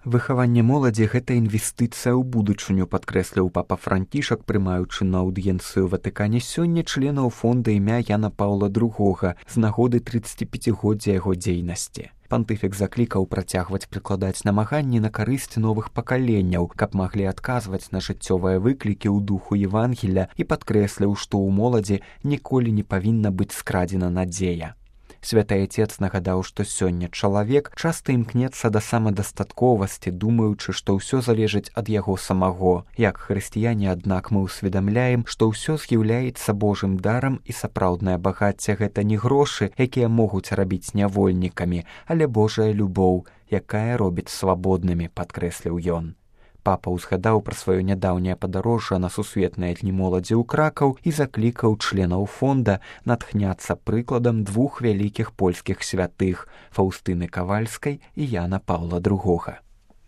Выхаванне моладзі – гэта інвестыцыя ў будучыню, падкрэсліў папа Францішак, прымаючы на аўдыенцыю ў Ватыкане сёння членаў фонда імя Яна Паўла II з нагоды 35-годдзя яго дзейнасці. Пантыфік заклікаў працягваць прыкладаць намаганні на карысць новых пакаленняў, каб маглі адказваць на жыццёвыя выклікі ў духу Евангелля і падкрэсліў, што ў моладзі ніколі не павінна быць скрадзена надзея. Святы Отец нагадаў, што сёння чалавек часта імкнецца да самадастатковасці, думаючы, што ўсё залежыць ад яго самого. Як хрысціяне, аднак, мы ўсведамляем, што ўсё з'яўляецца Божым дарам і сапраўднае багацце – гэта не грошы, якія могуць рабіць нявольнікамі, але Божая любоў, якая робіць свабоднымі, падкрэсліў ён. Папа ўзгадаў пра сваё нядаўняе падарожжа на сусветныя дні моладзі ў Кракаў і заклікаў членаў фонда натхняцца прыкладам двух вялікіх польскіх святых – Фаўстыны Кавальскай і Яна Паўла II.